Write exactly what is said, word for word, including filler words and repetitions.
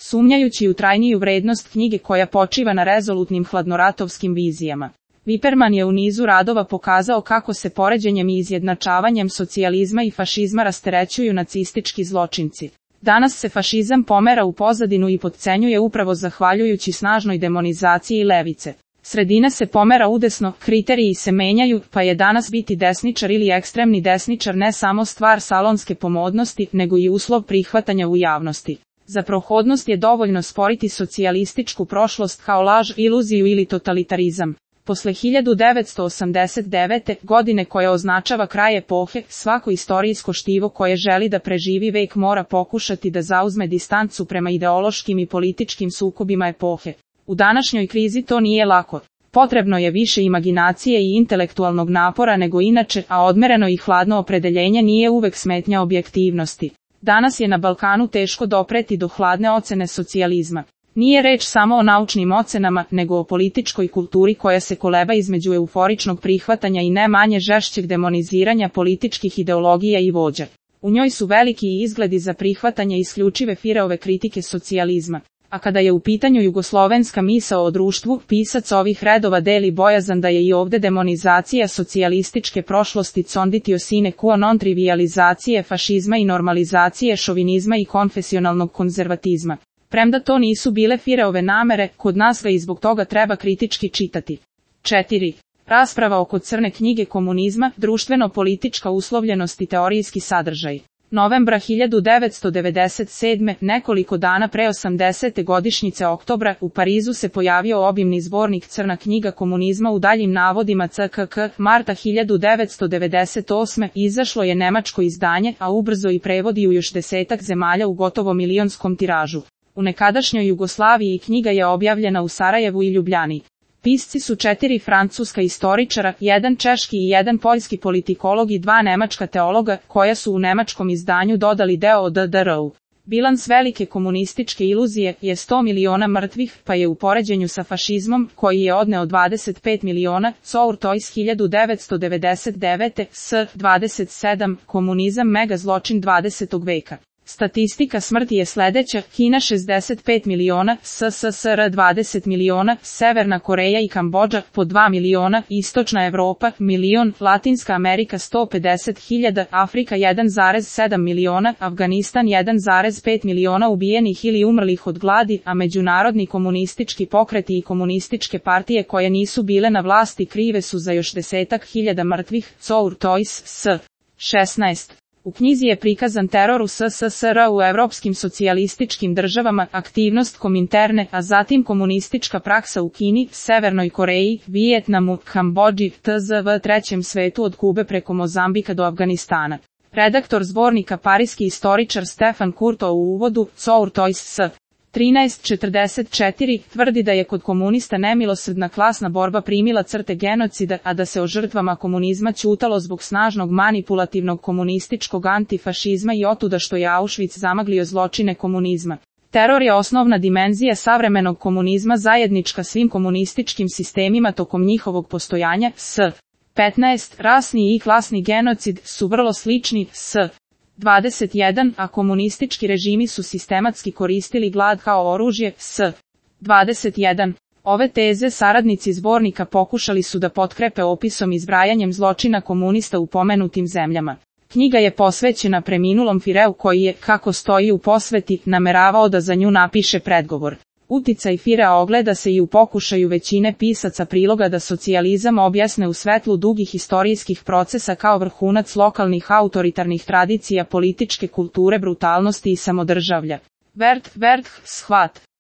sumnjajući u trajniju vrednost knjige koja počiva na rezolutnim hladnoratovskim vizijama. Wiperman je u nizu radova pokazao kako se poređenjem i izjednačavanjem socijalizma i fašizma rasterećuju nacistički zločinci. Danas se fašizam pomera u pozadinu i potcenjuje upravo zahvaljujući snažnoj demonizaciji levice. Sredina se pomera udesno, kriteriji se menjaju, pa je danas biti desničar ili ekstremni desničar ne samo stvar salonske pomodnosti, nego i uslov prihvatanja u javnosti. Za prohodnost je dovoljno sporiti socijalističku prošlost kao laž, iluziju ili totalitarizam. Posle hiljadu devetsto osamdeset devete. godine koja označava kraj epohe, svako istorijsko štivo koje želi da preživi vek mora pokušati da zauzme distancu prema ideološkim i političkim sukobima epohe. U današnjoj krizi to nije lako. Potrebno je više imaginacije i intelektualnog napora nego inače, a odmereno i hladno opredeljenje nije uvek smetnja objektivnosti. Danas je na Balkanu teško dopreti do hladne ocene socijalizma. Nije reč samo o naučnim ocenama, nego o političkoj kulturi koja se koleba između euforičnog prihvatanja i ne manje žešćeg demoniziranja političkih ideologija i vođa. U njoj su veliki izgledi za prihvatanje isključive Fireove kritike socijalizma. A kada je u pitanju jugoslovenska misao o društvu, pisac ovih redova deli bojazan da je i ovde demonizacija socijalističke prošlosti conditio sine qua non trivializacije fašizma i normalizacije šovinizma i konfesionalnog konzervatizma. Premda to nisu bile Fireove namere, kod nas ga i zbog toga treba kritički čitati. četiri. Rasprava oko crne knjige komunizma, društveno-politička uslovljenost i teorijski sadržaj. Novembra hiljadu devetsto devedeset sedme. nekoliko dana pre osamdesete godišnjice oktobra, u Parizu se pojavio obimni zbornik Crna knjiga komunizma u daljim navodima C K K. Marta hiljadu devetsto devedeset osme. izašlo je nemačko izdanje, a ubrzo i prevodi u još desetak zemalja u gotovo milionskom tiražu. U nekadašnjoj Jugoslaviji knjiga je objavljena u Sarajevu i Ljubljani. Pisci su četiri francuska istoričara, jedan češki i jedan poljski politikolog i dva nemačka teologa, koja su u nemačkom izdanju dodali deo o D D R-u. Bilans velike komunističke iluzije je sto miliona mrtvih, pa je u poređenju sa fašizmom, koji je odneo dvadeset pet miliona, Courtois hiljadu devetsto devedeset devete. S. dvadeset sedam. Komunizam mega zločin dvadesetog veka. Statistika smrti je sledeća: Kina šezdeset pet miliona, S S S R dvadeset miliona, Severna Koreja i Kambodža po dva miliona, Istočna Evropa milion, Latinska Amerika sto pedeset hiljada, Afrika jedan zarez sedam miliona, Afganistan jedan zarez pet miliona ubijenih ili umrlih od gladi, a međunarodni komunistički pokreti i komunističke partije koje nisu bile na vlasti krive su za još desetak hiljada mrtvih. Courtois. S. šesnaest. U knjizi je prikazan teror u S S S R u evropskim socijalističkim državama, aktivnost Kominterne, a zatim komunistička praksa u Kini, Severnoj Koreji, Vijetnamu, Kambodži, T Z V trećem svetu od Kube preko Mozambika do Afganistana. Redaktor zbornika parijski istoričar Stefan Courtois u uvodu, Courtois. S. trinaest četrdeset četiri. tvrdi da je kod komunista nemilosrdna klasna borba primila crte genocida, a da se o žrtvama komunizma ćutalo zbog snažnog manipulativnog komunističkog antifašizma i otuda što je Auschwitz zamaglio zločine komunizma. Teror je osnovna dimenzija savremenog komunizma zajednička svim komunističkim sistemima tokom njihovog postojanja. S. petnaest. Rasni i klasni genocid su vrlo slični. S. dvadeset jedan. A komunistički režimi su sistematski koristili glad kao oružje. S. dvadeset jedan. Ove teze saradnici zbornika pokušali su da potkrepe opisom i zbrajanjem zločina komunista u pomenutim zemljama. Knjiga je posvećena preminulom Fireu koji je, kako stoji u posveti, nameravao da za nju napiše predgovor. Uticaj Firea ogleda se i u pokušaju većine pisaca priloga da socijalizam objasne u svetlu dugih istorijskih procesa kao vrhunac lokalnih autoritarnih tradicija političke kulture brutalnosti i samodržavlja. Vert, Vert, shvat.